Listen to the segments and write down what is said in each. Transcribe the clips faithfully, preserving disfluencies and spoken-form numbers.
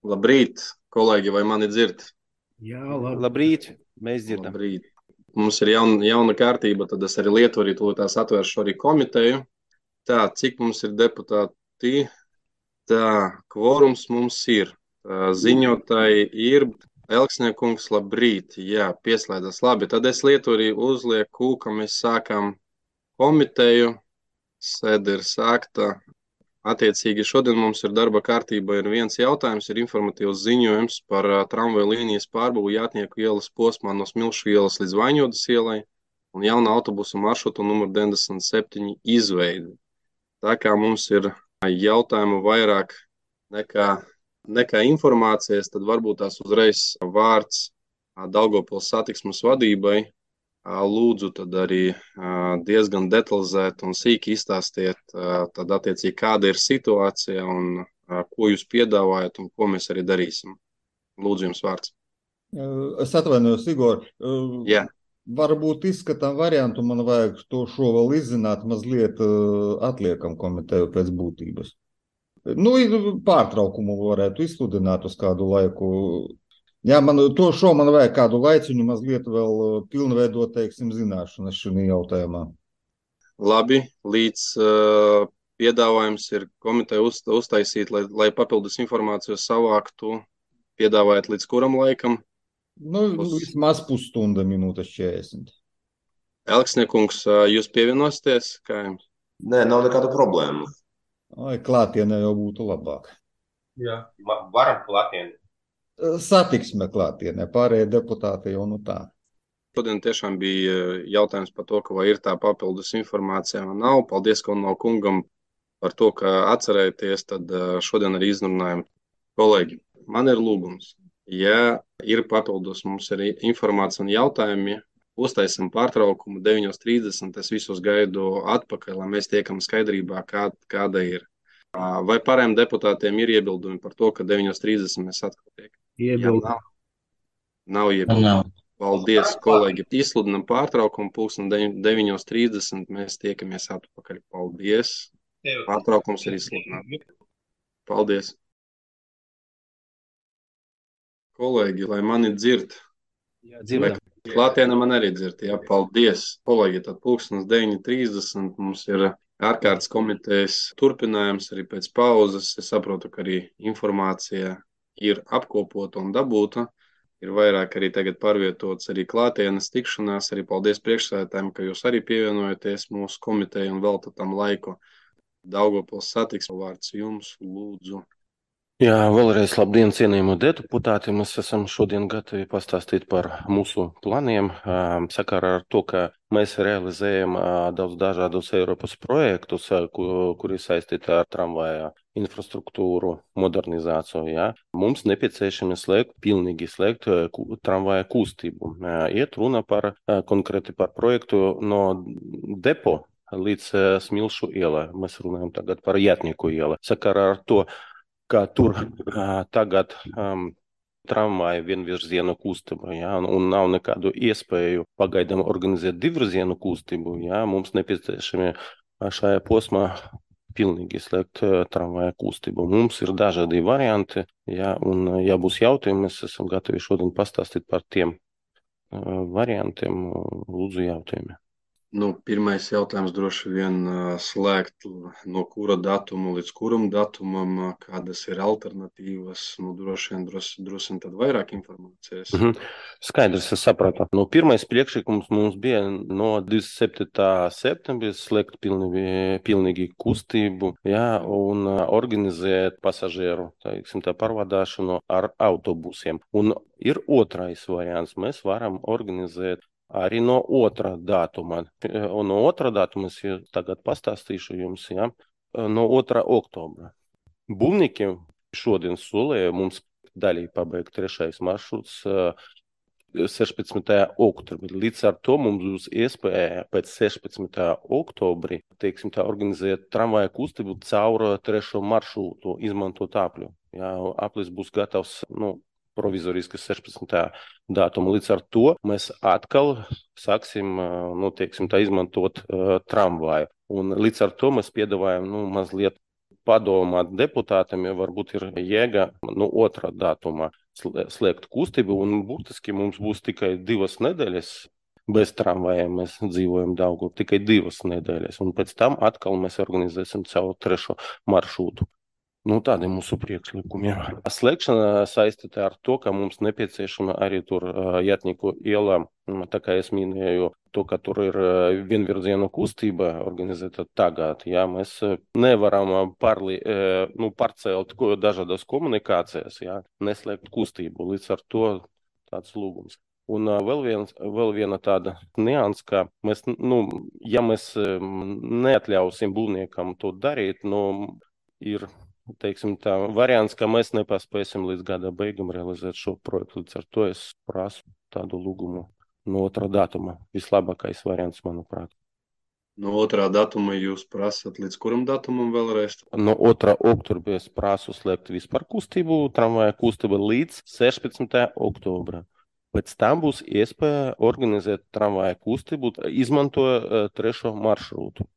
Labrīt, kolēģi, vai mani dzird? Jā, labi. Labrīt, mēs dzirdam. Labrīt. Mums ir jauna, jauna kārtība, tad es arī Lietuvu arī tūlītās atvēršu arī komiteju. Tā, cik mums ir deputāti? Tā, kvorums mums ir. Tā, ziņotāji ir. Elksniekungs, labrīt. Jā, pieslēdzas. Labi, tad es Lietuvu arī uzlieku, ka mēs sākam komiteju. Sēde ir sākta. Attiecīgi šodien mums ir darba kārtība ir viens jautājums, ir informatīvs ziņojums par uh, tramvaju līnijas pārbūvu Jātnieku ielas posmā no Smilšu ielas līdz Vaņodas ielai un jauna autobusu maršrutu numur deviņdesmit septiņi izveidi. Tā kā mums ir jautājumu vairāk nekā, nekā informācijas, tad varbūt tās uzreiz vārds uh, Daugavpils satiksmes vadībai. Lūdzu, tad arī diezgan detalizēti un sīki izstāstiet, tad attiecīgi kāda ir situācija un ko jūs piedāvājat un ko mēs arī darīsim. Lūdzu, jums vārds. Es atvainojos, Igor. Jā. Varbūt izskatām variantu, man vajag to šo vēl izzināt, mazliet atliekam komiteju pēc būtības. Nu, pārtraukumu varētu izsludināt uz kādu laiku. Jā, man to šo man vajag kādu laiciņu mazliet vēl pilnveidot, teiksim, zināšanas šajā jautājumā. Labi, līdz uh, piedāvājums ir komiteja uz, uztaisīt, lai, lai papildus informāciju savāktu, piedāvājat līdz kuram laikam? Nu, Pus... vismaz pusstunda, minūtes četrdesmit. Elksniekungs, jūs pievienosieties? Kā jums? Nē, nav nekāda problēma. Ai, klātienē jau būtu labāk. Jā, varam klātienē. Satiksme klātienē, pārējie deputāti jau nu tā. Šodien tiešām bija jautājums par to, ka vai ir tā papildus informācija vai nav. Paldies, ka no kungam par to, ka atcerēties, tad šodien arī izrunājam. Kolēģi, man ir lūgums. Ja ir papildus mums arī informācija un jautājumi, uztaisim pārtraukumu deviņos trīsdesmit, es visus gaidu atpakaļ, lai mēs tiekam skaidrībā, kā, kāda ir. Vai pārējiem deputātiem ir iebildumi par to, ka deviņos trīsdesmit mēs atkal tiekam? Iebildu. Ja nav, nav iebildumu. Paldies, kolēģi. Izsludinam pārtraukumu pulksten deviņos trīsdesmit. Mēs tiekamies atpakaļ. Paldies. Pārtraukums ir izsludināts. Paldies. Kolēģi, lai mani dzird. Jā, dzirdam. Klātienē man arī dzird. Jā, paldies. Kolēģi, tad pulkstens deviņi trīsdesmit mums ir ārkārtas komitejas turpinājums arī pēc pauzes. Es saprotu, ka arī informācija ir apkopota un dabūta, ir vairāk arī tagad pārvietots arī klātienes tikšanās, arī paldies priekšsēdētājiem, ka jūs arī pievienojaties mūsu komiteju un veltat tam laiku. Daugavpils satiksme vārds jums, lūdzu. Jā, vēlreiz labdien, cienījamo deputāti. Mēs esam šodien gatavi pastāstīt par mūsu planiem, sakarā ar to, ka mēs realizējam daudz dažādus Eiropas projektus, kuri saistīti ar tramvaja infrastruktūru modernizāciju. Jā. Mums nepieciešami slēgt, pilnīgi slēgt tramvaja kustību. Iet runa par konkrēti par projektu no depo līdz Smilšu ielai. Mēs runājam tagad par Jātnieku ielu. Sakarā ar to, ka tur uh, tagad um, tramvaja vienvirzienu kustību, ja, un nav nekādu iespēju pagaidām organizēt divvirzienu kustību, ja, mums nepieciešami šajā posmā pilnīgi slēgt uh, tramvaja kustību. Mums ir dažādi varianti, ja, un ja būs jautājumi, mēs esam gatavi šodien pastāstīt par tiem uh, variantiem, lūdzu jautājumi. Nu, pirmais jautājums droši vien slēgt no kura datuma līdz kuram datumam, kādas ir alternatīvas, nu, droši vien, droši, droši vien tad vairāk informācijas. Mhm. Skaidrs, es sapratu. Nu, pirmais priekšlikums mums bija no divdesmit septītā septembra slēgt pilnīgi, pilnīgi kustību, jā, un organizēt pasažieru, teiksim, tā pārvadāšanu ar autobusiem. Un ir otrais variants, mēs varam organizēt arī no otrā datuma. Un no otrā datuma es tagad pastāstīšu jums, ja, no otrā oktobra. Būvnikiem šodien solēja mums daļai pabeigt trešais maršruts sešpadsmitajā oktobrī. Līdz ar to mums būs iespēja pēc sešpadsmitajā oktobri, teiksim tā, organizēt tramvaja kustību caur trešo maršrutu, izmantot apļu. Ja, aplis būs gatavs, nu, provizoriski sešpadsmitajā datuma. Līdz ar to mēs atkal sāksim, nu, teiksim, tā izmantot uh, tramvaju. Un līdz ar to mēs piedāvājam, nu, mazliet padomāt deputātiem, ja varbūt ir jēga no otrā datuma slēgt kustību, un būtiski mums būs tikai divas nedēļas bez tramvajiem. Mēs dzīvojam Daugavā tikai divas nedēļas, un pēc tam atkal mēs organizēsim savu trešo maršrutu. Nu, tādi ir mūsu priekšlikumi. Slēgšana saistīta ar to, ka mums nepieciešama arī tur Jātnieku ielā, tā kā es minēju, to, ka tur ir vienvirzienu kustība organizēta tagad. Jā, mēs nevaram parli, nu, pārcelt dažādas komunikācijas, jā, neslēgt kustību. Līdz ar to tāds lūgums. Un vēl, viens, vēl viena tāda nianses, ka mēs, nu, ja mēs neatļausim būvniekam to darīt, nu, ir teiksim tā, variants, ka mēs nepaspēsim līdz gada beigām realizēt šo projektu. Līdz ar to es prasu tādu lūgumu no otrā datuma. Vislabākais variants, manuprāt. No otrā datuma jūs prasat līdz kuram datumam vēlreiz? No otrā oktobra es prasu slēgt vispār kustību, tramvaja kustību līdz sešpadsmitajam oktobram. Pēc tam būs iespēja organizēt tramvaja kustību, izmantojot trešo maršrutu.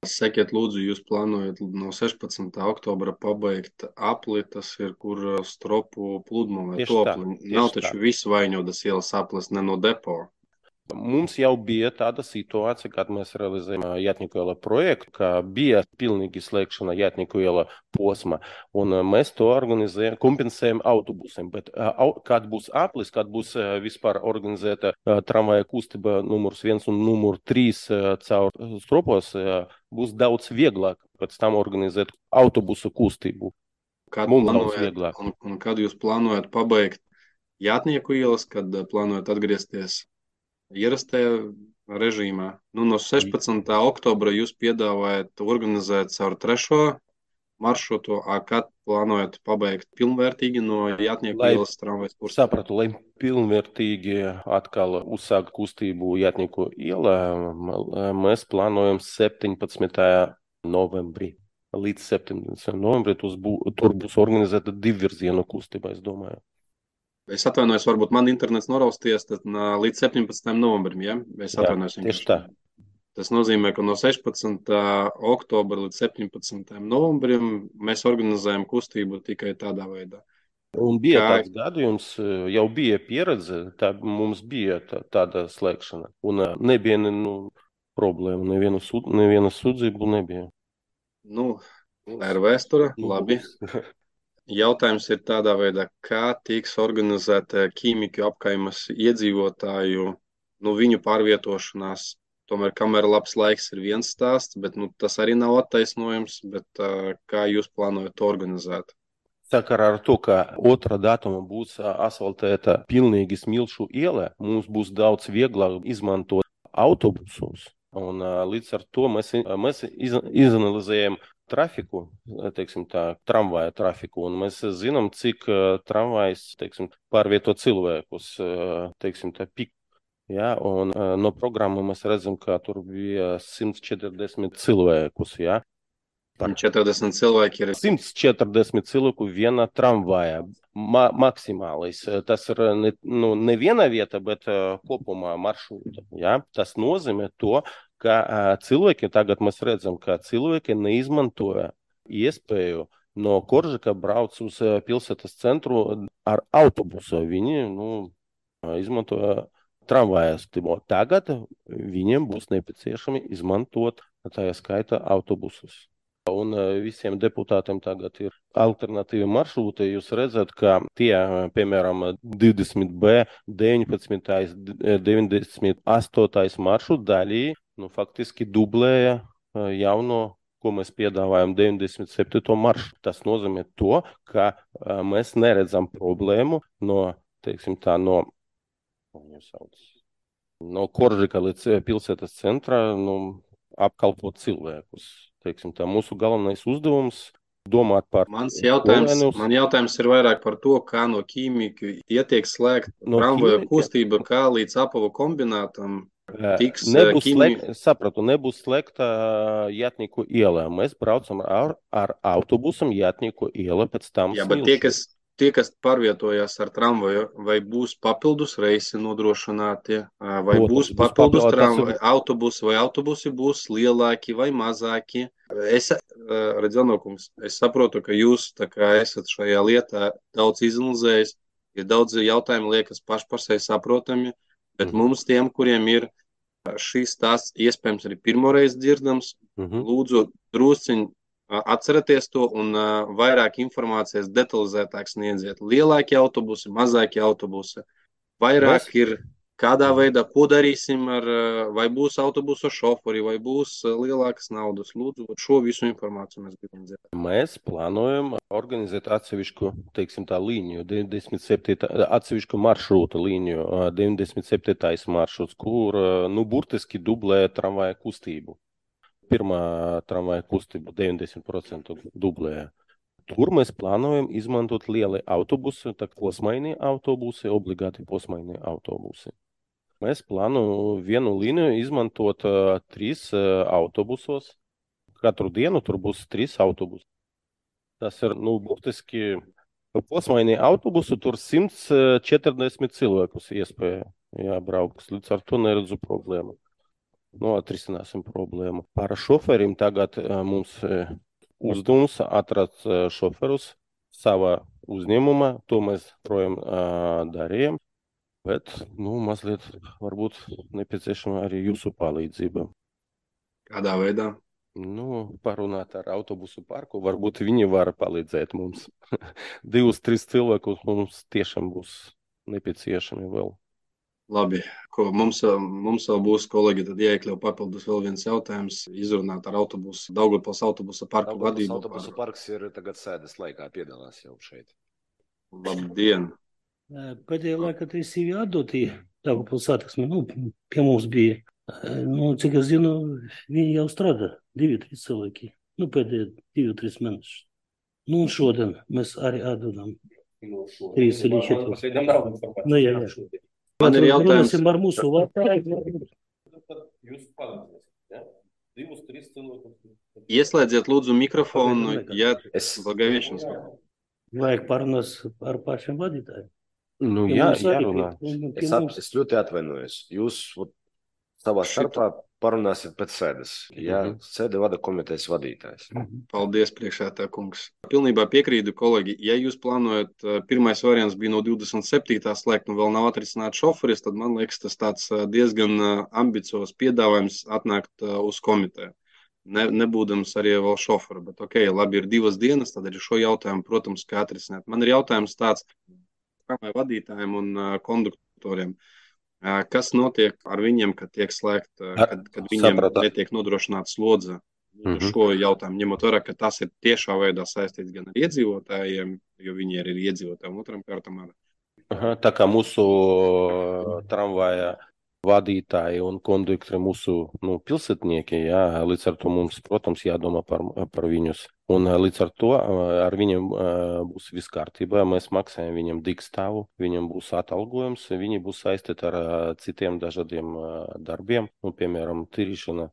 Sakiet, lūdzu, jūs plānojat no sešpadsmitā oktobra pabeigt apli, tas ir, kur stropu pludmale to apli. Nav taču visu Vaņodas ielas aplis, ne no depo. Mums jau bija tāda situācija, kad mēs realizējām Jātnieku iela projektu, ka bija pilnīgi slēgšana Jātnieku iela posma, un mēs to organizējam, kompensējam autobusiem. Bet kad būs aplis, kad būs vispār organizēta tramvaja kustība numurs viens un numur trīs caur stropos, būs daudz vieglāk pēc tam organizēt autobusu kustību. Kad Mums daudz vieglāk. Un, un kad jūs plānojat pabeigt Jātnieku ielas, kad plānojat atgriezties ierastajā režīmā? Nu, no sešpadsmitā oktobra jūs piedāvājat organizēt savu trešo maršrutu, a kad plānojat pabeigt pilnvērtīgi no Jātnieku lai, ielas tramvajas kursa? Sapratu, lai pilnvērtīgi atkal uzsākt kustību Jātnieku ielā, mēs plānojam septiņpadsmitajā novembrī. Līdz septiņpadsmitajam novembrī bū, tur būs organizēta divvirzienu kustība, es domāju. Es atvainojos, varbūt man internets norausties, tad līdz septiņpadsmitajam novembrim, ja? Es atvainojos. Jā, tieši tā. Tas nozīmē, ka no sešpadsmitā oktobra līdz septiņpadsmitajam novembrim mēs organizējam kustību tikai tādā veidā. Un bija Kā... tāds gadījums, jau bija pieredze, tā mums bija tā, tāda slēgšana. Un nebija nu, problēma, neviena, sud, neviena sudzību nebija. Nu, tā ir vēsture, labi. Jautājums ir tādā veidā, kā tiks organizēta ķīmiku apkaimes iedzīvotāju, nu, viņu pārvietošanās. Tomēr, kamēr labs laiks ir viens stāsts, bet nu, tas arī nav attaisnojums, bet uh, kā jūs plānojat to organizēt? Sakarā ar to, ka otrā datuma būs asfaltēta pilnīgi Smilšu iela, mums būs daudz vieglāk izmantot autobusus. Un uh, līdz ar to mēs, mēs iz, izanalizējam trafiku, teiksim tā, tramvaja trafiku, un mēs zinām, cik uh, tramvajs, teiksim, pārvieto cilvēkus, uh, teiksim tā, pik. Ja, un uh, no programmu mēs redzam, ka tur bija simt četrdesmit cilvēkus, ja. Par četrdesmit cilvēki ir. simt četrdesmit cilvēku viena tramvaja, ma maksimālais. Tas ir ne, nu, ne viena vieta, bet uh, kopumā maršruta, ja. Tas nozīmē to, ka uh, cilvēki, tagad mēs redzam, ka cilvēki neizmantoja iespēju no Koržika brauc uz uh, pilsētas centru ar autobusu. Viņi, nu, izmantoja tramvajas. Tagad viņiem būs nepieciešami izmantot tajā skaita autobusus. Un visiem deputātiem tagad ir alternatīvi maršruti. Jūs redzat, ka tie, piemēram, divdesmit B, deviņpadsmit, deviņdesmit astotais maršrutu daļī, nu, faktiski dublēja jauno, ko mēs piedāvājam deviņdesmit septīto maršrutu. Tas nozīmē to, ka mēs neredzam problēmu no, teiksim tā, no, no Koržika līdz pilsētas centra, nu, apkalpot cilvēkus. Teiksim, tā mūsu galvenais uzdevums domāt par... Mans jautājums, man jautājums ir vairāk par to, kā no ķīmiku ietiek slēgt no tramvaju kustība, kā līdz Apavu kombinātam tiks nebūs ķīmi... slēgt, sapratu, nebūs slēgta Jātnieku ielā. Mēs braucam ar, ar autobusam Jātnieku ielā, pēc tam Jā, bet tie, kas, tie, kas pārvietojās ar tramvaju, vai būs papildus reisi nodrošināti, vai Protams, būs būs papildus papildus- tramvaju tas autobusi, vai autobusi būs lielāki vai mazāki. Es, Redzenokungs, es saprotu, ka jūs tā kā esat šajā lietā daudz izanalizējis, ja daudz jautājumu liekas paši par sevi saprotami, bet Mhm. mums tiem, kuriem ir šīs stāsts iespējams arī pirmoreiz dzirdams, Mhm. lūdzu drusciņ atcerieties to un uh, vairāk informācijas detalizētāk sniedziet. Lielāki autobusi, mazāki autobusi. Vairāk Mēs- ir kādā veidā, ko darīsim ar, uh, vai būs autobusu šoferi, vai būs uh, lielākas naudas. Lūdzu, šo visu informāciju mēs gribam dzirdēt. Mēs plānojam organizēt atsevišķu, teiksim tā, līniju, deviņdesmit septītā, atsevišķu maršrutu līniju, ā, deviņdesmit septītais maršruts, kur, ā, nu, burtiski dublē tramvaja kustību. Pirmā tramvaja kustība deviņdesmit procenti dublēja. Tur mēs plānojam izmantot lieli autobusi, tā posmainie autobusi, obligāti posmainie autobusi. Mēs plānojam vienu līniju izmantot uh, trīs uh, autobusos. Katru dienu tur būs trīs autobusi. Tas ir, nu, burtiski posmainie autobusi, tur simt četrdesmit cilvēkus iespēja jābraukt. Līdz ar to neredzu problēmu. Nu, atrisināsim problēmu. Par šoferim tagad uh, mums uh, uzdevums atrast uh, šoferus savā uzņēmumā. To mēs projām uh, darījām. Bet, nu, mazliet varbūt nepieciešama arī jūsu palīdzība. Kādā veidā? Nu, parunāt ar autobusu parku, varbūt viņi var palīdzēt mums. Divus, trīs cilvēkus mums tiešām būs nepieciešami vēl. Labi, ko mums, mums vēl būs, kolēģi, tad jāiekļauj papildus vēl viens jautājums, izrunāt ar autobusu, Daugavpils autobusa parku Daugavpils vadību. autobusu parks ir tagad sēdes laikā piedalās jau šeit. Labdien! Pēdējā laikā tas ir atdoti Daugavpils satiksme, nu, pie mums bija. Nu, cik es zinu, viņi jau strādā, divi, trīs cilvēki. Nu, pēdējā divi, trīs mēnešus. Nu, un šodien mēs arī atdodam. Trīs vai četras. Nu, jā, jā. Man ir jautājums. Runāsim ar mūsu vārdu. Jūs palīdzēsiet, ja? Divus, trīs cilvēkus. Ieslēdziet lūdzu mikrofonu, ja Es, Благовещенsk. Vajag parunās ar pašiem vadītājiem. Nu, Pie jā, mums arī, jārunā. pie- pie es, at, mums. es ļoti atvainojos. Jūs ot, savā starpā parunāsiet pēc sēdes. Ja Mhm. sēde vada komitejas vadītājs. Paldies, priekšētā kungs. Pilnībā piekrītu, kolēģi. Ja jūs plānojat, eh, pirmais variants bija no divdesmit septītā slēgt, un vēl nav atrisināts šoferis, tad man liekas, tas tāds eh, diezgan eh, ambiciozs piedāvājums atnākt eh, uz komiteju. Ne, nebūdams arī vēl šoferu, bet ok, labi, ir divas dienas, tad arī šo jautājumu, protams, kā atrisināt. Man ir jautājums tāds tramvaju vadītājiem un uh, konduktoriem. Uh, kas notiek ar viņiem, kad tiek slēgt, uh, Ar- kad, kad viņiem sapratu. netiek nodrošināta slodze? Mhm. Mm-hmm. Šo jautājumu ņemot vērā, ka tas ir tiešā veidā saistīts gan ar iedzīvotājiem, jo viņi arī ir iedzīvotāji, un otram kārtam ar Aha, tā kā mūsu uh, tramvaja vadītāji un konduktori mūsu nu, pilsētnieki, jā, līdz ar to mums, protams, jādomā par, par viņus. Un uh, līdz ar to uh, ar viņiem uh, būs viss kārtībā. Mēs maksājam viņam digstāvu, viņam būs atalgojums, viņi būs saistīti ar uh, citiem dažādiem uh, darbiem, nu, piemēram, tīrīšana,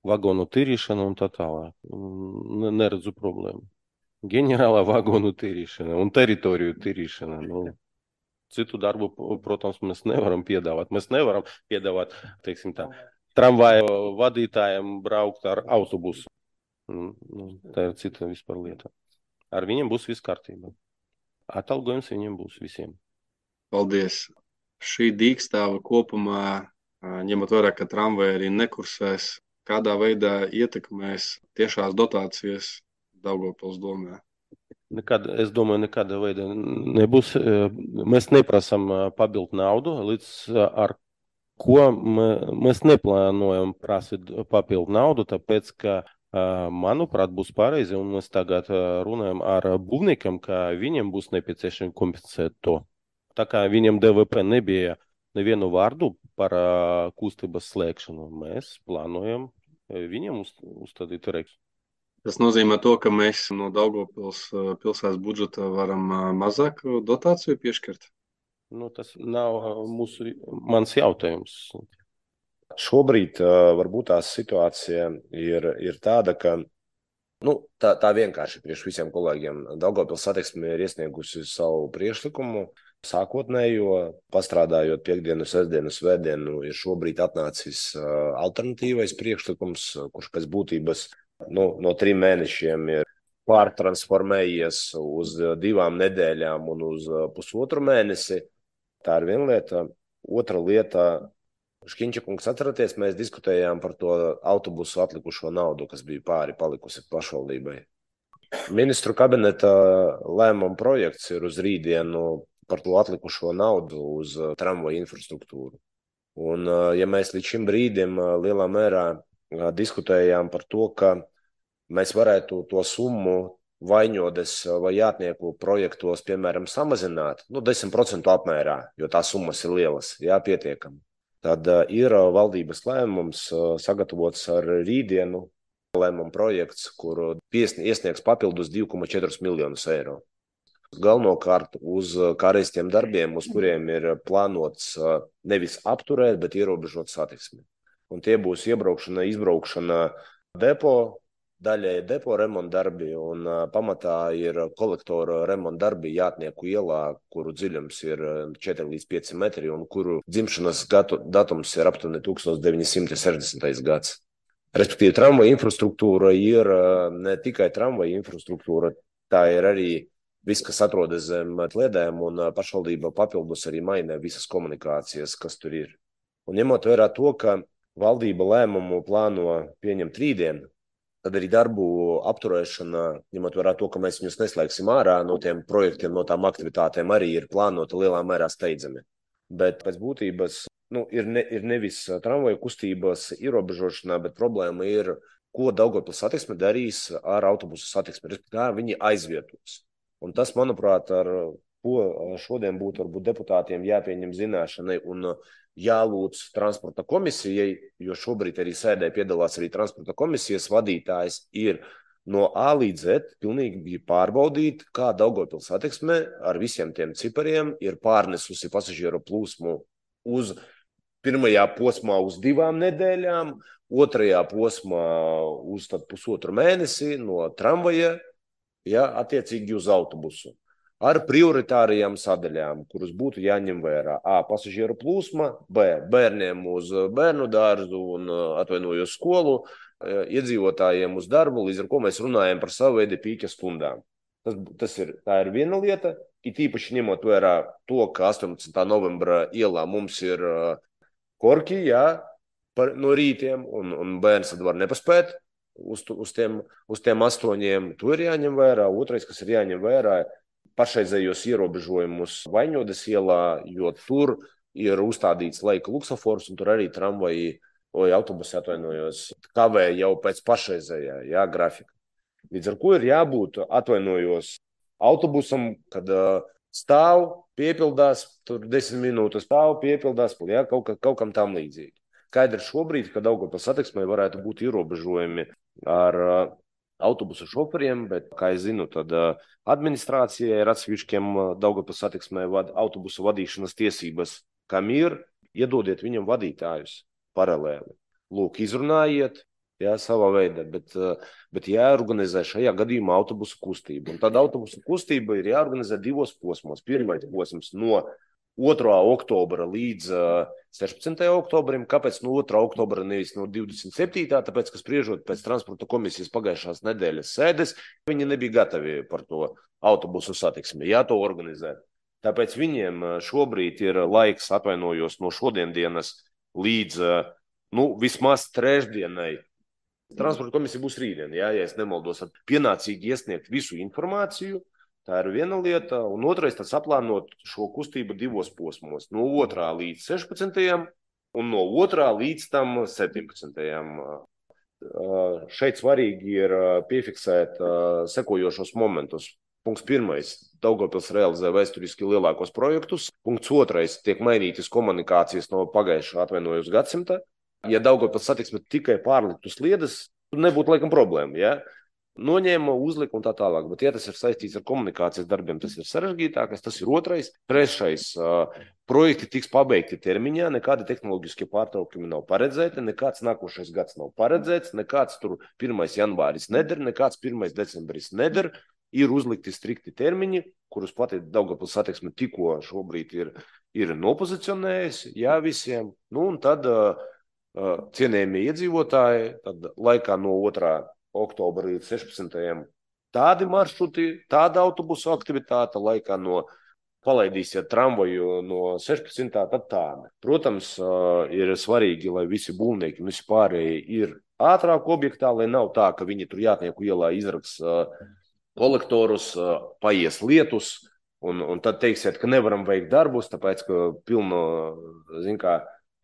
vagonu tīrīšana un tā tālāk. N- Neredzu problēmu. Ģenerālā vagonu tīrīšana un teritoriju tīrīšana. Nu, citu darbu, protams, mēs nevaram piedāvāt. Mēs nevaram piedāvāt, teiksim tā, tramvaju vadītājiem braukt ar autobusu. Nu, tā ir cita vispār lieta. Ar viņiem būs viss kārtībā. Atalgojums viņiem būs visiem. Paldies. Šī dīkstāva kopumā, ņemot vērā, ka tramvaji arī nekursēs, kādā veidā ietekmēs tiešās dotācijas Daugavpils domē? Nekad, es domāju, nekāda veida nebūs. Mēs neprasam pabildu naudu, līdz ar ko mēs neplānojam prasīt papildu naudu, tāpēc, ka, manuprāt, būs pareizi, un mēs tagad runājam ar būvniekam, ka viņiem būs nepieciešami kompensēt to. Tā kā viņiem D V P nebija nevienu vārdu par kustības slēgšanu, mēs plānojam viņiem uz, uzstādīt reiks. Tas nozīmē to, ka mēs no Daugavpils pilsētas budžeta varam mazāk dotāciju piešķirt? Nu, tas nav mūsu, mans jautājums. Šobrīd uh, varbūt tā situācija ir, ir tāda, ka Nu, tā, tā vienkārši priekš visiem kolēģiem. Daugavpils satiksme ir iesniegusi savu priekšlikumu. Sākotnējo, pastrādājot piekdienu, sestdienu, svētdienu, ir šobrīd atnācis alternatīvais priekšlikums, kurš pēc būtības nu, no trim mēnešiem ir pārtransformējies uz divām nedēļām un uz pusotru mēnesi. Tā ir viena lieta. Otra lieta, Škiņķakungs, atceraties, mēs diskutējām par to autobusu atlikušo naudu, kas bija pāri palikusi pašvaldībai. Ministru kabineta lēmuma projekts ir uz rītdienu par to atlikušo naudu uz tramvaju infrastruktūru. Un, ja mēs līdz šim brīdim lielā mērā diskutējām par to, ka mēs varētu to summu Vaņodes vai Jātnieku projektos, piemēram, samazināt, nu, desmit procentu apmērā, jo tās summas ir lielas, jā, pietiekami. Tad ir valdības lēmums sagatavots ar rītdienu lēmuma projekts, kur iesniegs papildus divi komats četri miljonus eiro. Galvenokārt uz kārēstiem darbiem, uz kuriem ir plānots nevis apturēt, bet ierobežot satiksmi. Un tie būs iebraukšana, izbraukšana depo, daļēji depo remonta darbi, un pamatā ir kolektora remonta darbi Jātnieku ielā, kuru dziļums ir četri līdz pieci metri, un kuru dzimšanas datums ir aptuveni tūkstoš deviņi simti sešdesmitais gads. Respektīvi, tramvaja infrastruktūra ir ne tikai tramvaja infrastruktūra, tā ir arī viss, kas atrodas zem sliedēm, un pašvaldība papildus arī maina visas komunikācijas, kas tur ir. Un ņemot vērā to, ka valdība lēmumu plāno pieņemt rītdien, tad arī darbu apturēšana, ņemot vērā to, ka mēs viņus neslēgsim ārā no tiem projektiem, no tām aktivitātēm, arī ir plānota lielā mērā steidzami. Bet pēc būtības nu, ir, ne, ir nevis tramvaju kustības ierobežošanā, bet problēma ir, ko Daugavpils satiksme darīs ar autobusu satiksmi, kā viņi aizvietos. Un tas, manuprāt, ar ko šodien būtu varbūt deputātiem jāpieņem zināšanai un jālūdz transporta komisijai, jo šobrīd arī sēdē piedalās arī transporta komisijas vadītājs, ir no A līdz Z pilnīgi pārbaudīt, kā Daugavpils satiksme ar visiem tiem cipariem ir pārnesusi pasažieru plūsmu uz pirmajā posmā uz divām nedēļām, otrajā posmā uz tad pusotru mēnesi no tramvaja, ja, attiecīgi uz autobusu, ar prioritārajām sadaļām, kuras būtu jāņem vērā. A. Pasažieru plūsma, B. Bērniem uz bērnu dārzu un atvainojos skolu, iedzīvotājiem uz darbu, līdz ar ko mēs runājam par savu veidu pīķa stundām. Tas, tas ir, tā ir viena lieta, it īpaši ņemot vērā to, ka astoņpadsmitā novembra ielā mums ir korki, jā, par, no rītiem, un, un bērns tad var nepaspēt. Uz, uz, tiem, uz tiem astoņiem to ir jāņem vērā. Otrais, kas ir jāņem vērā, pašreizējos ierobežojumus Vaņodes ielā, jo tur ir uzstādīts laika luksofors, un tur arī tramvaji, vai autobusi atvainojos, kavē jau pēc pašreizējā, jā, grafika. Līdz ar ko ir jābūt, atvainojos, autobusam, kad uh, stāv, piepildās, tur desmit minūtes stāv, piepildās, jā, kaut, kaut kam tam līdzīgi. Skaidrs šobrīd, ka Daugavpils satiksmei varētu būt ierobežojumi ar uh, autobusu šoferiem, bet, kā es zinu, tad uh, administrācijai ir atsevišķiem uh, Daugavpils satiksmei vad, autobusu vadīšanas tiesības, kam ir, iedodiet viņam vadītājus paralēli. Lūk, izrunājiet, jā, savā veidā, bet, uh, bet jāorganizē šajā gadījumā autobusu kustību. Un tad autobusu kustība ir jāorganizē divos posmos. Pirmais posms no otrā oktobra līdz uh, sešpadsmitajam oktobrim. Kāpēc no otrā oktobra nevis no divdesmit septītā? Tāpēc, ka spriežot pēc transporta komisijas pagājušās nedēļas sēdes, viņi nebija gatavi par to autobusu satiksmi, jā, to organizēt. Tāpēc viņiem šobrīd ir laiks, atvainojos, no šodiendienas līdz, uh, nu, vismaz trešdienai. Transporta komisija būs rītdien, jā, ja es nemaldos, pienācīgi iesniegt visu informāciju. Tā ir viena lieta, un otrais tad saplānot šo kustību divos posmos, no otrā līdz sešpadsmitajam un no otrā līdz tam septiņpadsmitajam. Šeit svarīgi ir piefiksēt sekojošos momentus. Punkts pirmais. Daugavpils realizē vēsturiski lielākos projektus. Punkts otrais. Tiek mainītas komunikācijas no pagājušā atvainojos gadsimta. Ja Daugavpils satiksme tikai pārliktu sliedes, tad nebūtu laikam problēma, ja? noņēma, uzlika un tā tālāk. Bet, ja tas ir saistīts ar komunikācijas darbiem, tas ir sarežģītākais, tas ir otrais. Trešais, projekti tiks pabeigti termiņā, nekādi tehnoloģiskie pārtraukumi nav paredzēti, nekāds nākošais gads nav paredzēts, nekāds tur pirmais janvāris neder, nekāds pirmais decembris neder. Ir uzlikti strikti termiņi, kurus pati Daugavpils satiksme tikko šobrīd ir, ir nopozicionējusi, jā, visiem. Nu, un tad uh, cienējamie iedzīvotāji, tad laikā no otrā oktobra līdz sešpadsmitajam tādi maršruti, tāda autobusu aktivitāte, laikā no palaidīsiet tramvaju no sešpadsmitā, tad tāda. Protams, uh, ir svarīgi, lai visi būvnieki un visi pārējie ir ātrāk objektā, lai nav tā, ka viņi tur Jātnieku ielā izraks uh, kolektorus, paies lietus, un, un tad teiksiet, ka nevaram veikt darbus, tāpēc, ka pilno, zin kā,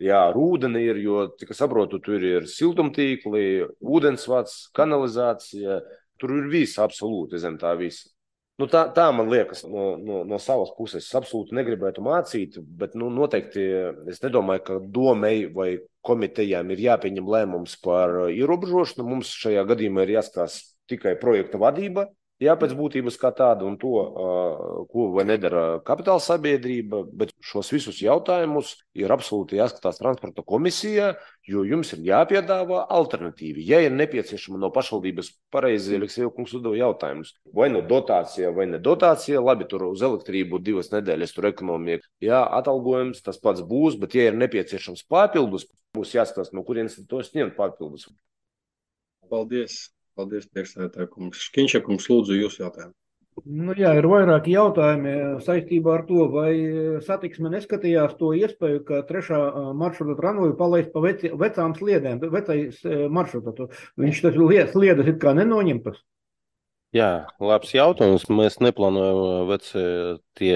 jā, rūdeni ir, jo, cik es saprotu, tur ir siltumtīkli, ūdensvads, kanalizācija, tur ir viss absolūti zem tā visa. Nu, tā, tā man liekas no, no, no savas puses. Es absolūti negribētu mācīt, bet nu, noteikti es nedomāju, ka domei vai komitejām ir jāpieņem lēmums par ierobežošanu. Mums šajā gadījumā ir jāskatās tikai projekta vadība, jā, pēc būtības kā tāda un to, ko vai nedara kapitāla sabiedrība, bet šos visus jautājumus ir absolūti jāskatās transporta komisijā, jo jums ir jāpiedāvā alternatīvi. Ja ir nepieciešama no pašvaldības, pareizi Aleksejs kungs uzdeva jautājumus, vai no dotācija, vai ne dotācija, labi, tur uz elektrību divas nedēļas, tur ekonomija, jā, atalgojums, tas pats būs, bet ja ir nepieciešams papildus, būs jāskatās, no kurienes tos ņemt papildus. Paldies. Paldies, priekšsēdētāj kungs. Škiņša kungs, lūdzu, jūsu jautājumu. Nu, jā, ir vairāki jautājumi saistībā ar to, vai satiksme neskatījās to iespēju, ka trešā maršruta tramvaju palaist pa veci, vecām sliedēm, vecais maršruta. Viņš tas sliedas ir kā nenoņemtas. Jā, labs jautājums. Mēs neplānojam veci tie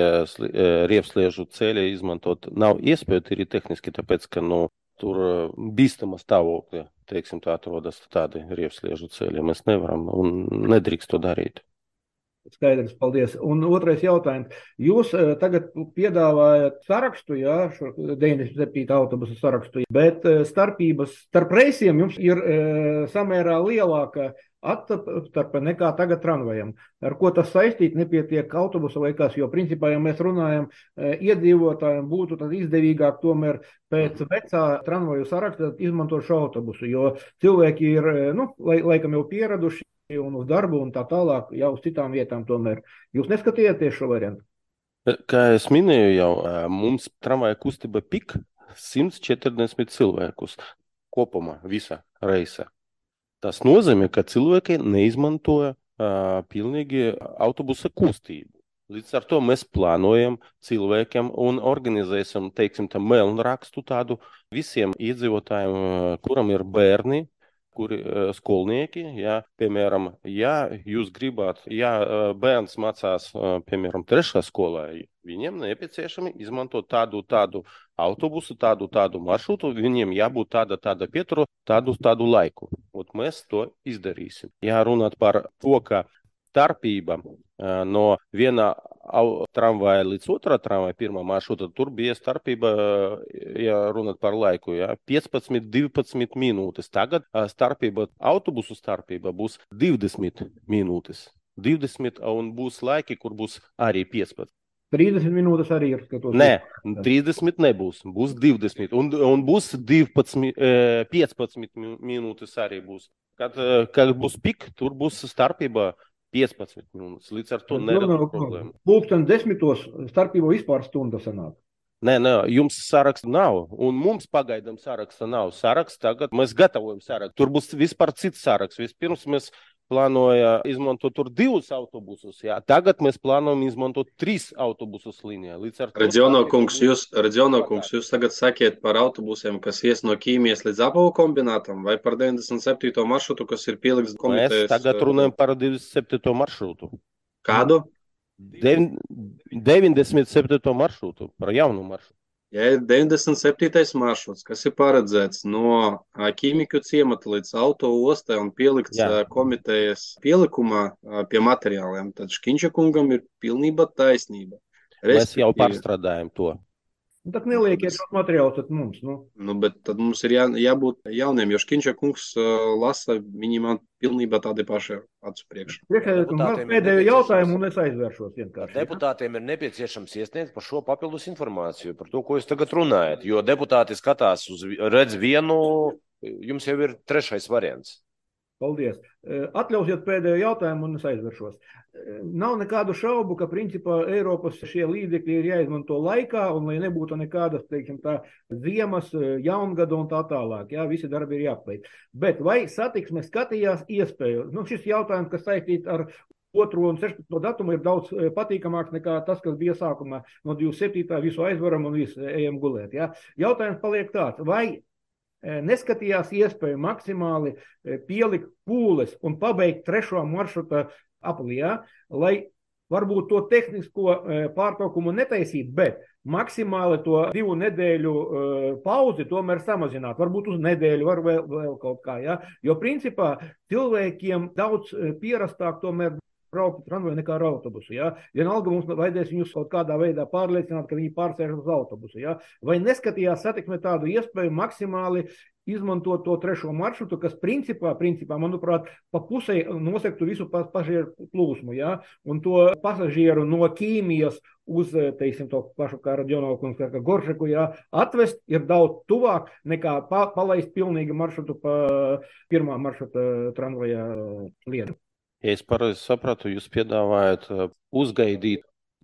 riepsliežu ceļi izmantot. Nav iespēja tīri tehniski, tāpēc, ka, nu, tur bīstama stāvokļa, teiksim, tā atrodas tādi riepsliežu ceļi. Mēs nevaram un nedrīkst to darīt. Skaidrs, paldies. Un otrais jautājums. Jūs tagad piedāvājat sarakstu, jā, šo deviņdesmit septītā autobusu sarakstu, bet starpības starp reisiem jums ir e, samērā lielāka attarpe nekā tagad tramvajam. Ar ko tas saistīt, nepietiek autobusa vai kas, jo principā, ja mēs runājam, iedzīvotājiem būtu tad izdevīgāk tomēr pēc vecā tramvaju saraksta izmantot šo autobusu, jo cilvēki ir, nu, lai, laikam jau pieraduši un uz darbu un tā tālāk, jau uz citām vietām tomēr. Jūs neskatījāties šo variantu? Kā es minēju jau, mums tramvaja kustība pik simts četrdesmit cilvēkus kopumā visa reisa. Tas nozīmē, ka cilvēki neizmantoja uh, pilnīgi autobusa kustību. Līdz ar to mēs plānojam cilvēkiem un organizēsim, teiksim, tā melnrakstu tādu visiem iedzīvotājiem, kuram ir bērni, kuri uh, skolnieki, ja, piemēram, ja jūs gribat, ja uh, bērns mācās, uh, piemēram, trešā skolā, viņiem nepieciešami izmantot tādu, tādu autobusu, tādu, tādu maršrutu, viņiem jābūt tāda, tāda pieturu, tādu, tādu laiku. Un mēs to izdarīsim. Ja runāt par to, ka starpība uh, no viena tramvaja līdz otrā tramvaja, pirmā maršruta, tur bija starpība, ja runāt par laiku, ja, piecpadsmit divpadsmit minūtes. Tagad uh, starpība, autobusu starpība būs divdesmit minūtes. divdesmit un būs laiki, kur būs arī piecpadsmit. trīsdesmit minūtes arī ir skatos. Nē, trīsdesmit nebūs, būs divdesmit. Un, un būs divpadsmit, piecpadsmit minūtes arī būs. Kad, kad būs pik, tur būs starpība piecpadsmit minūtes. Līdz ar to nerada problēma. Pulksten desmitos starpība vispār stunda sanāk. Nē, nē, jums saraksta nav, un mums pagaidām saraksta nav. Saraksts tagad, mēs gatavojam sarakstu. Tur būs vispār cits saraksts. Vispirms mēs plānoja izmantot tur divus autobusus, jā. Tagad mēs plānojam izmantot trīs autobusus līnijā. Reģiono kungs, jūs, Reģiono kungs, jūs tagad sakiet par autobusiem, kas ies no Ķīmijas līdz Apavu kombinātam, vai par deviņdesmit septīto maršrutu, kas ir pielikts komitejas? Mēs tagad runājam par deviņdesmit septīto maršrutu. Kādu? deviņdesmit septīto maršrutu, par jaunu maršrutu. Ja ir deviņdesmit septītais maršruts, kas ir paredzēts no Ķīmiku ciemata līdz auto ostai un pielikts Jā. komitejas pielikumā pie materiāliem, tad Škiņša kungam ir pilnība taisnība. Mēs jau pārstrādājam to. Nu, tak nelieciet šos materiālus tad mums. Nu. Nu, bet tad mums ir jā, jābūt jauniem, jo Škinča kungs uh, lasa, viņi man pilnībā tādi paši acu priekšā. Priekšsēdētājs pēdējo jautājumu un es aizvēršos vienkārši. Deputātiem ir nepieciešams iesniegt par šo papildus informāciju, par to, ko jūs tagad runājat, jo deputāti skatās uz, redz vienu, jums jau ir trešais variants. Paldies. Atļausiet pēdējo jautājumu un es aizveršos. Nav nekādu šaubu, ka principā Eiropas šie līdzekļi ir jāizmanto laikā un lai nebūtu nekādas, teiksim tā, ziemas, jaungada un tā tālāk. Jā, visi darbi ir jāpabeidz. Bet vai satiksme skatījās iespēju? Nu, šis jautājums, kas saistīt ar otro un sešpadsmito datumu, ir daudz patīkamāks nekā tas, kas bija sākumā no divdesmit septītā visu aizvaram un visu ejam gulēt. Jā. Jautājums paliek tāds, vai neskatījās iespēju maksimāli pielikt pūles un pabeigt trešo maršruta aplijā, lai varbūt to tehnisko pārtraukumu netaisīt, bet maksimāli to divu nedēļu pauzi tomēr samazināt. Varbūt uz nedēļu, var vēl, vēl kaut kā. Ja? Jo principā cilvēkiem daudz pierastāk tomēr braukt tramvaju nekā ar autobusu. Ja? Vienalga mums vajadzēs viņus kaut kādā veidā pārliecināt, ka viņi pārsēž uz autobusu. Ja? Vai neskatījās satiksme tādu iespēju maksimāli izmantot to trešo maršrutu, kas principā, principā manuprāt, pa pusē nosektu visu pasažieru plūsmu. Ja? Un to pasažieru no Ķīmijas uz, teiksim, to pašu kā Radionovkungs, kā Goršeku, ja? Atvest ir daudz tuvāk nekā pa, palaist pilnīgi maršrutu pa pirmā maršruta tramvaja lietu. Ja es pareizi sapratu, jūs piedāvājat uzgaidīt.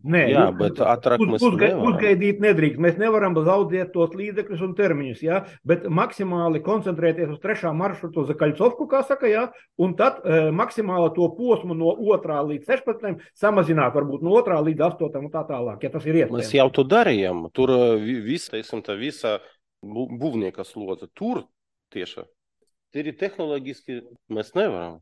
Nē, jā, bet ātrāk mēs uzga, nevaram. Uzgaidīt nedrīkst. Mēs nevaram zaudēt tos līdzekļus un termiņus, jā, bet maksimāli koncentrēties uz trešā maršrutu uz Kaļcovku, kā saka, jā, un tad e, maksimāli to posmu no otrā līdz sešpadsmitam samazināt, varbūt no otrā līdz astotam un tā tālāk, ja tas ir iespējams. Mēs jau to darījām. Tur viss, teiksim, tā visa būvnieka slodze. Tur tieši. Tur ir tehnoloģiski mēs nevaram.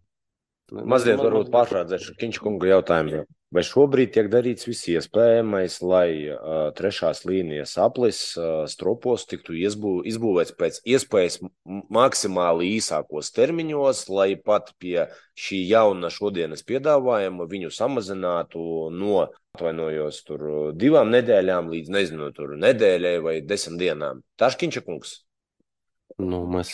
Mazliet varbūt pārfrāzēšu Škinča kunga jautājumu. Vai šobrīd tiek darīts viss iespējamais, lai uh, trešās līnijas aplis uh, stropos tiktu izbū, izbūvēts pēc iespējas maksimāli īsākos termiņos, lai pat pie šī jauna šodienas piedāvājuma viņu samazinātu no, atvainojos, tur divām nedēļām līdz, nezinu, tur nedēļai vai desmit dienām? Tā Škinča kungs. Nu, mēs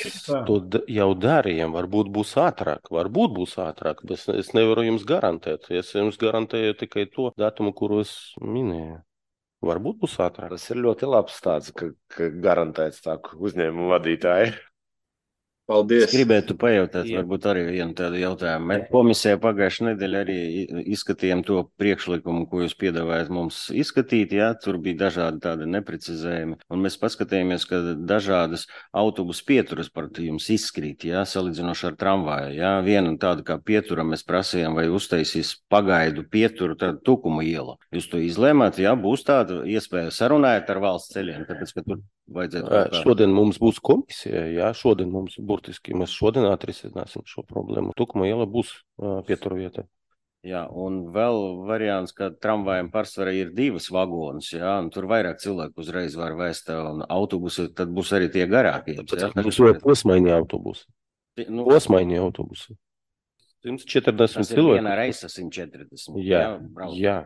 to jau darījām. Varbūt būs ātrāk, varbūt būs ātrāk, bet es nevaru jums garantēt. Es jums garantēju tikai to datumu, kuru es minēju. Varbūt būs ātrāk. Tas ir ļoti labs tāds, ka, ka garantēts tā uzņēmumu vadītāji. Paldies. Es gribētu pajautāt, Jā. varbūt arī vienu tādu jautājumu. Mēs komisijā pagājušajā nedēļā arī izskatījām to priekšlikumu, ko jūs piedāvājat mums izskatīt. Jā, tur bija dažādi tādi neprecizējumi. Un mēs paskatījāmies, ka dažādas autobusu pieturas par jums izskrīt, jā, salīdzinoši ar tramvaju. Jā. Viena tāda kā pietura mēs prasījām, vai uztaisīs pagaidu pieturu, tad Tukuma iela. Jūs to izlēmāt, jā, būs tāda iespēja sarunājot ar valsts ceļiem, tāpēc, ka tur vajadzētu. Šodien mums būs komisija, jā, šodien mums burtiski mēs šodien atrisināsim šo problēmu. Tukuma iela būs uh, pietura vietā. Jā, un vēl variants, ka tramvajiem pārsvarā ir divas vagonas, jā, un tur vairāk cilvēku uzreiz var vēst, un autobusi, tad būs arī tie garākie. Būs jau posmaiņi autobusi. Nu, posmaiņi autobusi. simt četrdesmit cilvēku. Vienā reisa simt četrdesmit. Jā, jā, jā.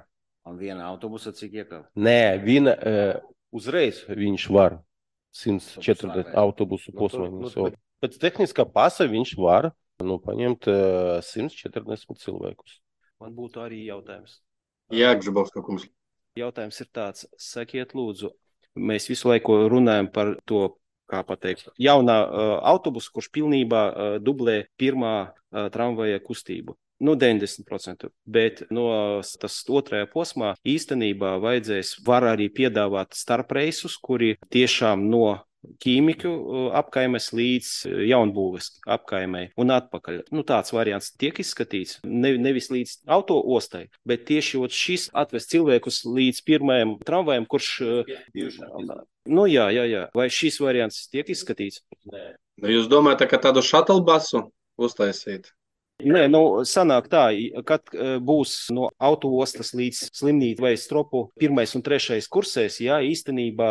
Un viena autobusa cik iekāp? Nē, viena, uh, uzreiz viņš var simt četrdesmit autobusu posmaiņus. Nu, pēc tehniskā pasa viņš var nu, paņemt uh, simt četrdesmit cilvēkus. Man būtu arī jautājums. Jā, Gžabovska kungs. Jautājums ir tāds, sakiet lūdzu, mēs visu laiku runājam par to, kā pateikt, jaunā uh, autobusu, kurš pilnībā uh, dublē pirmā uh, tramvaja kustību. Nu, deviņdesmit procenti, bet no tas otrajā posmā īstenībā vajadzēs, var arī piedāvāt starpreisus, kuri tiešām no ķīmiku apkaimes līdz jaunbūves apkaimei un atpakaļ. Nu, tāds variants tiek izskatīts, ne, nevis līdz auto ostai, bet tieši šis atvest cilvēkus līdz pirmajam tramvajam, kurš... Nu, jā, jā, jā. Vai šis variants tiek izskatīts? Jūs domājat, ka tādu šatlbasu uztaisīt? Nē, nu, sanāk tā, kad būs no autoostas līdz slimnīcu vai stropu pirmais un trešais kursēs, jā, īstenībā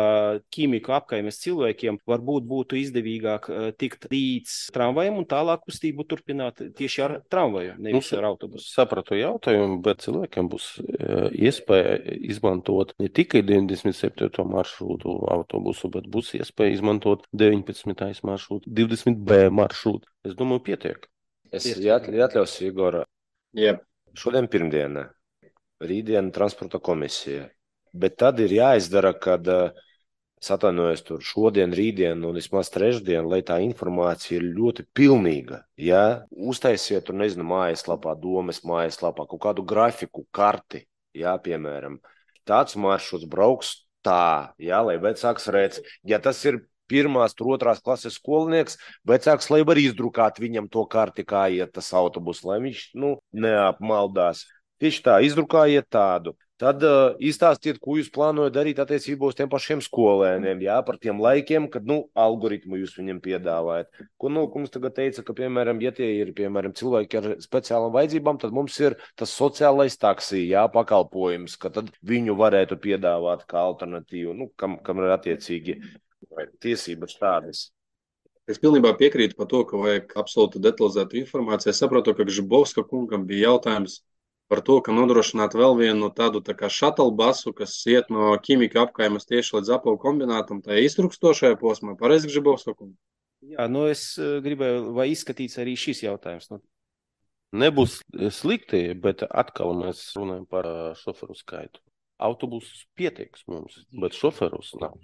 ķīmiku apkaimes cilvēkiem varbūt būtu izdevīgāk tikt līdz tramvajam un tālāk kustību turpināt tieši ar tramvaju, nevis ar autobusu. Sapratu jautājumu, bet cilvēkiem būs iespēja izmantot ne tikai deviņdesmit septīto maršrutu autobusu, bet būs iespēja izmantot deviņpadsmitais maršrutu, divdesmit B maršrutu. Es domāju, pietiek. Es atļaušu, Igor, Yep. šodien pirmdiena, rītdiena transporta komisija, bet tad ir jāizdara, kad es atvainojos tur šodien, rītdien un vismaz trešdien, lai tā informācija ir ļoti pilnīga. Ja uztaisiet tur, nezinu, mājaslapā, domes mājaslapā, kaut kādu grafiku, karti, jā, piemēram, tāds maršruts brauks tā, jā, lai vecāks redz, ja tas ir pirmās, tur otrās klases skolnieks, vecāks, lai var izdrukāt viņam to karti, kā iet tas autobus, lai viņš, nu, neapmaldās. Tieši tā, izdrukājiet tādu. Tad uh, izstāstiet, ko jūs plānojat darīt attiecībā uz tiem pašiem skolēniem, jā, par tiem laikiem, kad, nu, algoritmu jūs viņam piedāvājat. Ko, nu, mums tagad teica, ka, piemēram, ja tie ir, piemēram, cilvēki ar speciālām vajadzībām, tad mums ir tas sociālais taksī, jā, pakalpojums, ka tad viņu varētu piedāvāt kā alternatīvu, nu, kam, kam ir attiecīgi tiesības tādas. Es pilnībā piekrītu par to, ka vajag absolūti detalizētu informāciju. Es saprotu, ka Gžibovska kungam bija jautājums par to, ka nodrošināt vēl vienu tādu tā kā shuttle basu, kas iet no ķīmika apkaimes tieši līdz apavu kombinātam, tā ir iztrukstošajā posmā. Pareizi, Gžibovska kungs? Jā, nu es gribēju, vai izskatīts arī šis jautājums. Nu. Nebūs slikti, bet atkal mēs runājam par šoferu skaitu. Autobusus pietieks mums, bet šoferus nav.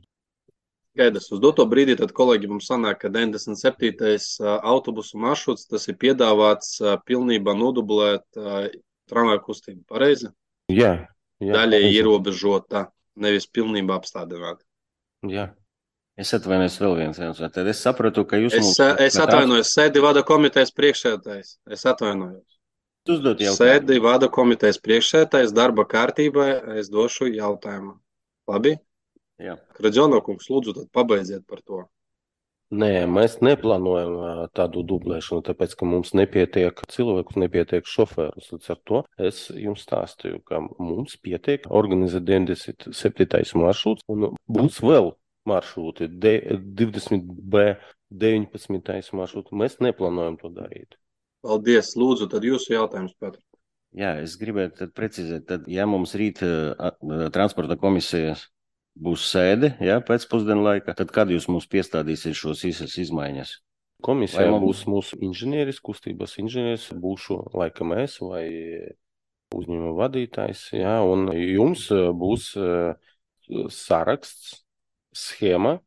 Skaidrs. Uz doto brīdī tad kolēģi mums sanāk, ka deviņdesmit septītais autobusu maršruts, tas ir piedāvāts pilnībā nodublēt tramvaju kustību. Pareizi? Jā. jā Daļai ierobežota, nevis pilnībā apstādināt. Jā. Es atvainojos vēl viens jautājums. Tad es sapratu, ka jūs Es, mums... es atvainojos, sēdi vada komitejas priekšsēdētājs. Es atvainojos. Uzdot jautājumu. Sēdi vada komitejas priekšsēdētājs darba kārtībai, es došu jautājumu. Labi? Jā. Kraģono kungs, lūdzu, tad pabeidziet par to. Nē, mēs neplānojam tādu dublēšanu, tāpēc, ka mums nepietiek cilvēkus, nepietiek šoferus. Līdz ar to es jums stāstīju, ka mums pietiek organizēt deviņdesmit septītais maršruts un būs vēl maršruti, divdesmit B, deviņpadsmitais maršruts. Mēs neplānojam to darīt. Paldies, lūdzu, tad jūsu jautājums, Petr. Jā, es gribētu tad precizēt, tad, ja mums rīt uh, transporta komisijas būs sēde, jā, pēc pusdienu laika, tad kad jūs mums piestādīsiet šos īsas izmaiņas? Komisijā mums... būs mūsu inženieris, kustības inženieris, būšu laikam es vai uzņēmuma vadītājs, jā, un jums būs uh, saraksts, schēma.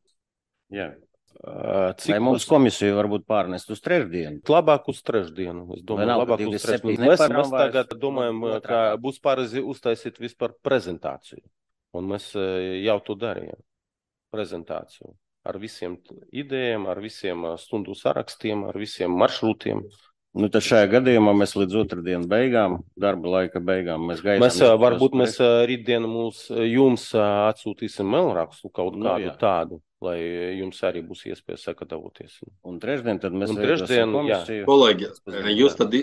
Jā. Uh, cik vai mums komisiju varbūt pārnest uz trešdienu? Labāk uz trešdienu. Es domāju, nav, labāk uz trešdienu. Mēs, mēs tagad domājam, ka būs pareizi uztaisīt vispār prezentāciju. Un mēs jau to darījām. Prezentāciju ar visiem idejām, ar visiem stundu sarakstiem, ar visiem maršrutiem. Nu, tad šajā gadījumā mēs līdz otrdienas beigām, darba laika beigām, mēs gaidām. Mēs, varbūt mēs rītdien mums, jums atsūtīsim mailrakstu kaut nu, kādu jā. tādu, lai jums arī būs iespēja sagatavoties. Un trešdien tad mēs trešdien, komisiju. Kolēģi, jūs tad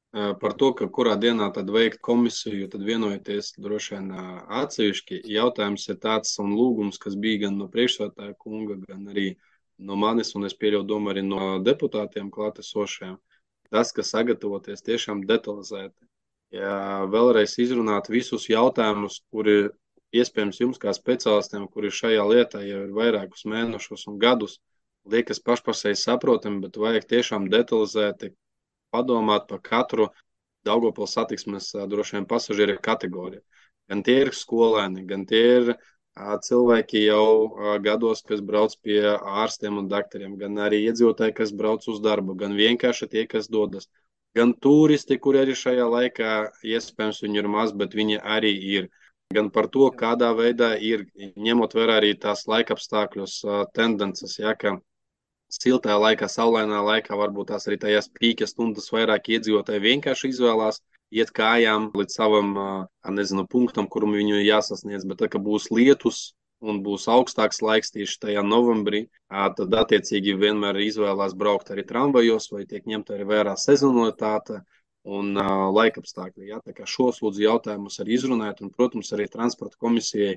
par to, ka kurā dienā tad veikt komisiju, tad vienojoties droši vien atsevišķi. Jautājums ir tāds un lūgums, kas bija gan no priekšsēdētāja kunga, gan arī no manis, un es pieļauju domu arī no deputātiem klātesošajiem. Tas, ka sagatavoties tiešām detalizēti. Ja vēlreiz izrunāt visus jautājumus, kuri iespējams jums kā speciālistiem, kuri šajā lietā jau ir vairākus mēnešus un gadus, liekas pašpasēji saprotami, bet vajag tiešām detalizēti padomāt par katru Daugavpils satiksmes droši vien pasažieru kategoriju. Gan tie ir skolēni, gan tie ir cilvēki jau gados, kas brauc pie ārstiem un daktariem, gan arī iedzīvotāji, kas brauc uz darbu, gan vienkārši tie, kas dodas. Gan turisti, kuri arī šajā laikā, iespējams, viņi ir maz, bet viņi arī ir. Gan par to, kādā veidā ir, ņemot vērā arī tās laikapstākļus, tendences, ja, ka siltajā laikā, saulainā laikā, varbūt tās arī tajās pīka stundas vairāk iedzīvotāji vienkārši izvēlās iet kājām līdz savam, nezinu, punktam, kuram viņu jāsasniedz, bet tā, ka būs lietus, un būs augstāks laiks tieši tajā novembrī, tad attiecīgi vienmēr izvēlās braukt arī tramvajos vai tiek ņemta arī vērā sezonalitāte un uh, laikapstākļi. Ja? Tā kā šos lūdzu jautājumus arī izrunāt, un, protams, arī transporta komisijai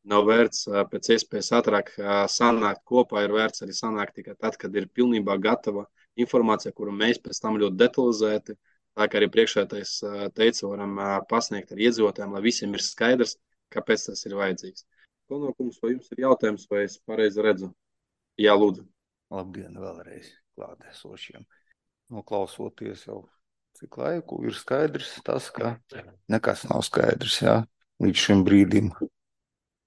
nav vērts uh, pēc iespējas ātrāk uh, sanākt kopā, ir vērts arī sanākt tikai tad, kad ir pilnībā gatava informācija, kuru mēs pēc tam ļoti detalizēti, tā kā arī priekšētais uh, teica, varam uh, pasniegt ar iedzīvotājiem, lai visiem ir skaidrs, kāpēc tas ir vajadzīgs. Konokums, vai jums ir jautājums, vai es pareizi redzu? Jā, lūdzu. Labdien vēlreiz klātesošiem. Noklausoties jau cik laiku, ir skaidrs tas, ka nekas nav skaidrs, jā. Līdz šim brīdim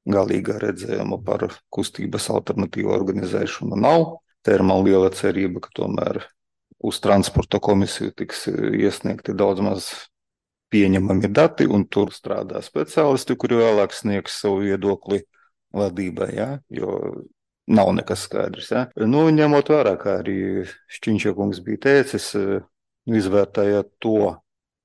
galīgā redzējuma par kustības alternatīvu organizēšanu nav. Te ir man liela cerība, ka tomēr uz transporta komisiju tiks iesniegti daudz maz pieņemami dati, un tur strādā speciālisti, kuri vēlāk sniegs savu viedokli vadībai, jā, jo nav nekas skaidrs. Jā. Nu, ņemot vērā, kā arī Šķiņša kungs bija teicis, izvērtējot to,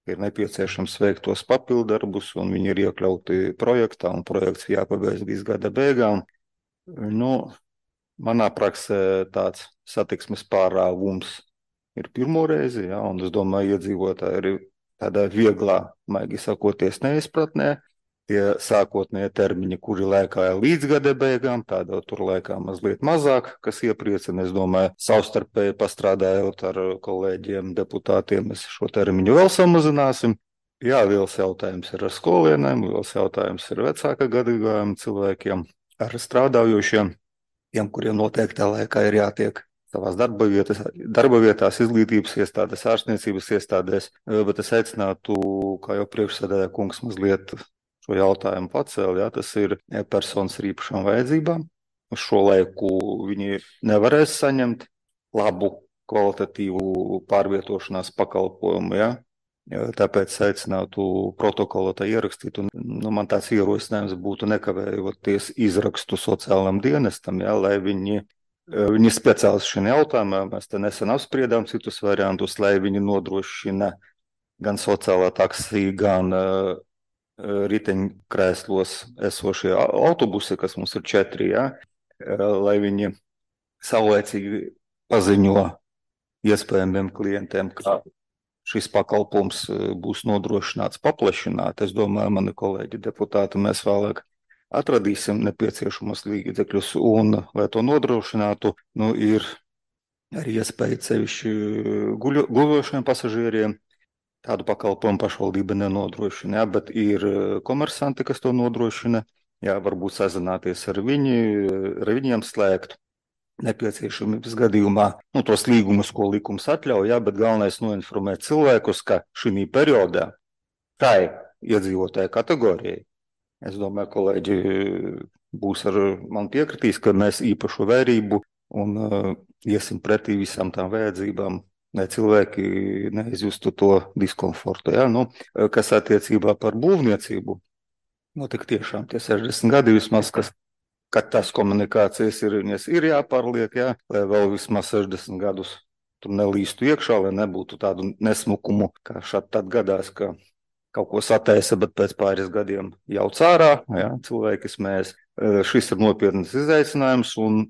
ir nepieciešams veikt tos papildarbus, un viņi ir iekļauti projektā, un projekts jāpabeidz līdz gada beigām. Nu, manā praksē tāds satiksmes pārāvums ir pirmo reizi, jā, un es domāju, iedzīvotāji ir tādā vieglā, maigi sakoties, neizpratnē. Tie sākotnēji termiņi, kuri lēkāja līdz gada beigām, tādā tur lēkā mazliet mazāk, kas iepriecina. Es domāju, savstarpēji pastrādājot ar kolēģiem, deputātiem, mēs šo termiņu vēl samazināsim. Jā, viels jautājums ir ar skolēniem, viels jautājums ir vecāka gadījumiem cilvēkiem, ar strādājošiem, tiem, kuriem noteiktā laikā ir jātiek savās darba vietās, darba vietās, izglītības iestādēs, ārstniecības iestādēs, bet es aicinātu, kā jau priekšsēdētāja kungs mazliet šo jautājumu pacēl, jā, tas ir personas ar īpašām vajadzībām. Uz šo laiku viņi nevarēs saņemt labu, kvalitatīvu pārvietošanās pakalpojumu, jā. Tāpēc aicinātu protokolā tā ierakstīt, un nu, man tāds ierosinājums būtu nekavējoties izrakstu sociālam dienestam, jā, lai viņi, viņi speciālisti šajā jautājumā, mēs te nesen apspriedām citus variantus, lai viņi nodrošina gan sociālā taksija, gan uh, riteņkrēslos esošie autobusi, kas mums ir četri, jā, lai viņi saulēcīgi paziņo iespējamiem klientiem, ka šis pakalpums būs nodrošināts paplašināt. Es domāju, mani kolēģi deputāti, mēs vēlāk atradīsim nepieciešamos līdzekļus, un, lai to nodrošinātu, nu, ir arī iespēja sevišķi guļošiem pasažieriem. Tādu pakalpojumu pašvaldība nenodrošina, jā, bet ir komersanti, kas to nodrošina. Jā, varbūt sazināties ar, viņi, ar viņiem slēgt nepieciešamības gadījumā. Nu, tos līgumus, ko likums atļauj, jā, bet galvenais noinformēt cilvēkus, ka šī periodā tai iedzīvotāju kategorijai, es domāju, kolēģi būs ar man piekritīs, ka mēs īpašu vērību un uh, iesim pretī visām tām vajadzībām, lai cilvēki neizjustu to diskomfortu. Ja? Nu, kas attiecībā par būvniecību, nu, tik tiešām tie sešdesmit gadi vismaz, kas, kad tas komunikācijas ir, ir jāpārliek, ja? Lai vēl vismaz sešdesmit gadus tur nelīstu iekšā, lai nebūtu tādu nesmukumu, kā šādi tad gadās, ka kaut ko sataisa, bet pēc pāris gadiem jau cārā, ja? Cilvēki smējas. Šis ir nopietnas izaicinājums, un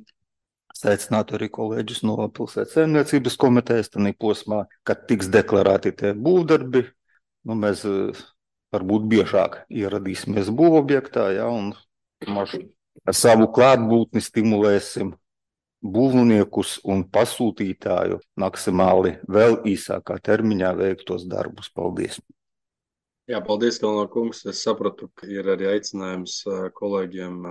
aicinātu arī kolēģus no pilsētas saimniecības komitejas, tādā posmā, kad tiks deklarēti tie būvdarbi, nu, mēs varbūt biežāk ieradīsimies būvobjektā, ja, un ar savu klātbūtni stimulēsim būvniekus un pasūtītāju maksimāli vēl īsākā termiņā veiktos darbus. Paldies! Jā, paldies, Kalno kungs. Es sapratu, ka ir arī aicinājums kolēģiem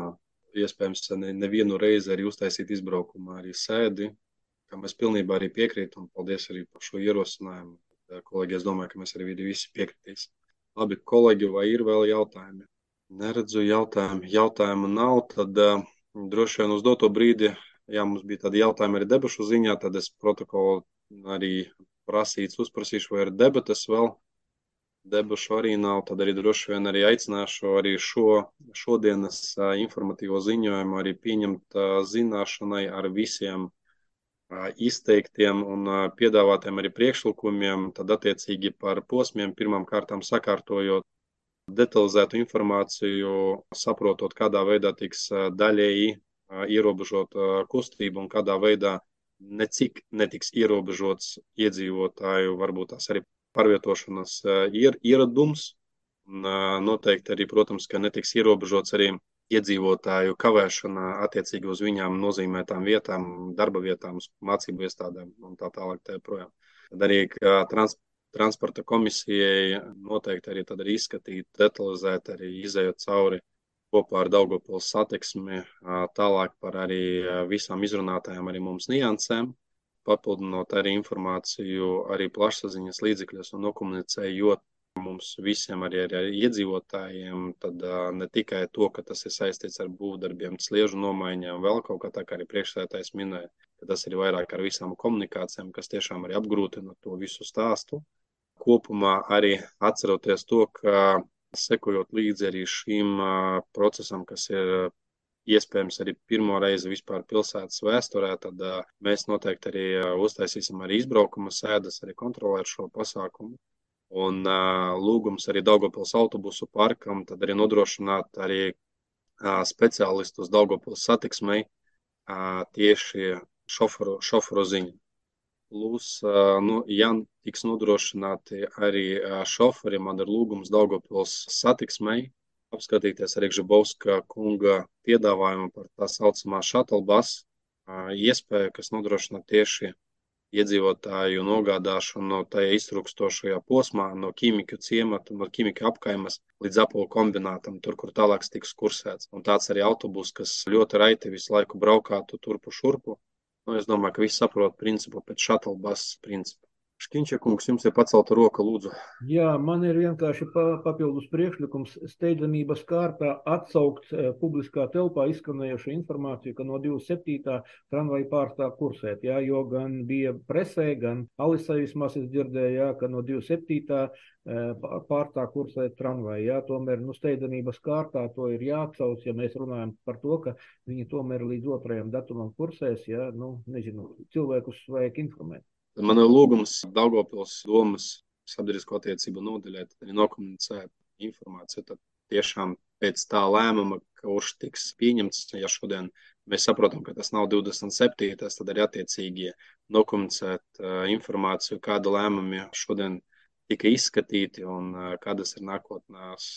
iespējams nevienu reizi arī uztaisīt izbraukumā arī sēdi, kam es pilnībā arī piekrītu, un paldies arī par šo ierosinājumu. Kolēģi, es domāju, ka mēs arī visi piekritīs. Labi, kolēģi, vai ir vēl jautājumi? Neredzu jautājumu. Jautājumu nav, tad uh, droši vien uz doto brīdi, jā, mums bija tādi jautājumi arī debašu ziņā, tad es protokolu arī prasīts, uzprasīšu, vai ir debates vēl. Debašu arī nav, tad arī droši vien arī aicināšu arī šo šodienas uh, informatīvo ziņojumu arī pieņemt uh, zināšanai ar visiem uh, izteiktiem un uh, piedāvātiem arī priekšlikumiem, tad attiecīgi par posmiem pirmām kārtām sakārtojot detalizētu informāciju, saprotot, kādā veidā tiks daļēji ierobežot kustību un kādā veidā necik netiks ierobežots iedzīvotāju, varbūt tās arī pārvietošanas ier, ieradums. Un noteikti arī, protams, ka netiks ierobežots arī iedzīvotāju kavēšana attiecīgi uz viņām nozīmētām vietām, darba vietām, mācību iestādēm un tā tālāk tā projām. Tad arī trans, transporta komisijai noteikti arī tad arī izskatīt, detalizēt, arī izējot cauri kopā ar Daugavpils satiksmi, tālāk par arī visām izrunātajām arī mums niansēm, papildinot arī informāciju arī plašsaziņas līdzekļos un nokomunicējot mums visiem arī ar iedzīvotājiem, tad ne tikai to, ka tas ir saistīts ar būvdarbiem, sliežu nomaiņām, vēl kaut kā tā, kā arī priekšsēdētājs minēja, ka tas ir vairāk ar visām komunikācijām, kas tiešām arī apgrūtina to visu stāstu. Kopumā arī atceroties to, ka sekojot līdzi arī šīm procesam, kas ir iespējams arī pirmo reizi vispār pilsētas vēsturē, tad mēs noteikti arī uztaisīsim arī izbraukuma sēdes, arī kontrolēt šo pasākumu. Un uh, lūgums arī Daugavpils autobusu parkam, tad arī nodrošināt arī uh, speciālistus Daugavpils satiksmei uh, tieši šoferu, šoferu ziņu. Plus, uh, nu, ja tiks nodrošināti arī uh, šoferi, man ir lūgums Daugavpils satiksmei apskatīties arī Žabovska kunga piedāvājumu par tā saucamā shuttle bus uh, iespēju, kas nodrošina tieši iedzīvotāju nogādāšanu tajā iztrukstošajā posmā no ķīmiku ciemata, no ķīmiku apkaimes līdz Apolu kombinātam, tur, kur tālāk tiks kursēts. Un tāds arī autobus, kas ļoti raiti visu laiku braukātu turpu šurpu. Nu, es domāju, ka visi saprot principu pēc shuttle bus principu. Škiņča kungs, jums ir pacelta roka, lūdzu. Jā, man ir vienkārši pa, papildus priekšlikums steidzamības kārtā atsaukt e, publiskā telpā izskanējušu informāciju, ka no divdesmit septītā tramvaja pārstāv kursēt, jā, jo gan bija presē, gan Alisai vismaz es dzirdēju, jā, ka no divdesmit septītā e, pārstāv kursēt tramvaja, jā, tomēr nu steidzamības kārtā to ir jāatsauc, ja mēs runājam par to, ka viņi tomēr līdz otrajam datumam kursēs, jā, nu, nezinu, cilvēkus vajag informēt. Man ir lūgums Daugavpils domas sabiedrisko attiecību nodaļai, tad arī nokomunicēt informāciju. Tad tiešām pēc tā lēmuma, kurš tiks pieņemts, ja šodien mēs saprotam, ka tas nav divdesmit septītais, tad arī attiecīgi nokomunicēt uh, informāciju, kāda lēmumi šodien tika izskatīti un uh, kādas ir nākotnās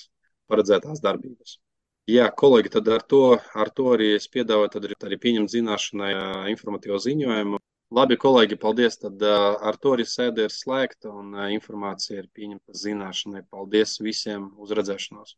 paredzētās darbības. Jā, kolēģi, tad ar to, ar to arī es piedāvāju tad arī, arī pieņemt zināšanai uh, informatīvo ziņojumu. Labi, kolēģi, paldies. Tad uh, ar to arī sēde ir slēgta un uh, informācija ir pieņemta zināšanai. Paldies visiem uz redzēšanos.